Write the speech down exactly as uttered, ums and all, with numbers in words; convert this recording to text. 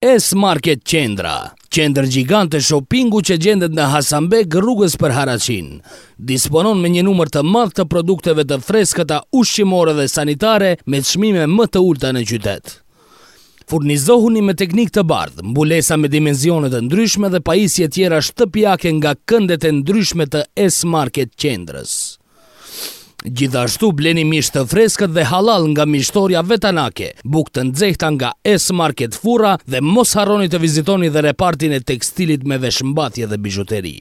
S-Market Qendra, qendër gjigante shoppingu që gjendet në Hasanbeg, rrugës për Haraçin. Disponon me një numër të madh të produkteve të freskëta ushqimore dhe sanitare me çmime më të ulta në qytet. Furnizohuni me teknikë të bardhë, mbulesa me dimensione të ndryshme dhe pajisje tjera shtëpiake nga këndet e ndryshme të S-Market Qendrës. Gjithashtu bleni mish të freskët dhe halal nga mishtoria vetanake, bukë të nxehta nga S-Market Furra dhe mos harroni të vizitoni dhe repartin e tekstilit me veshmbathje dhe bizhuteri.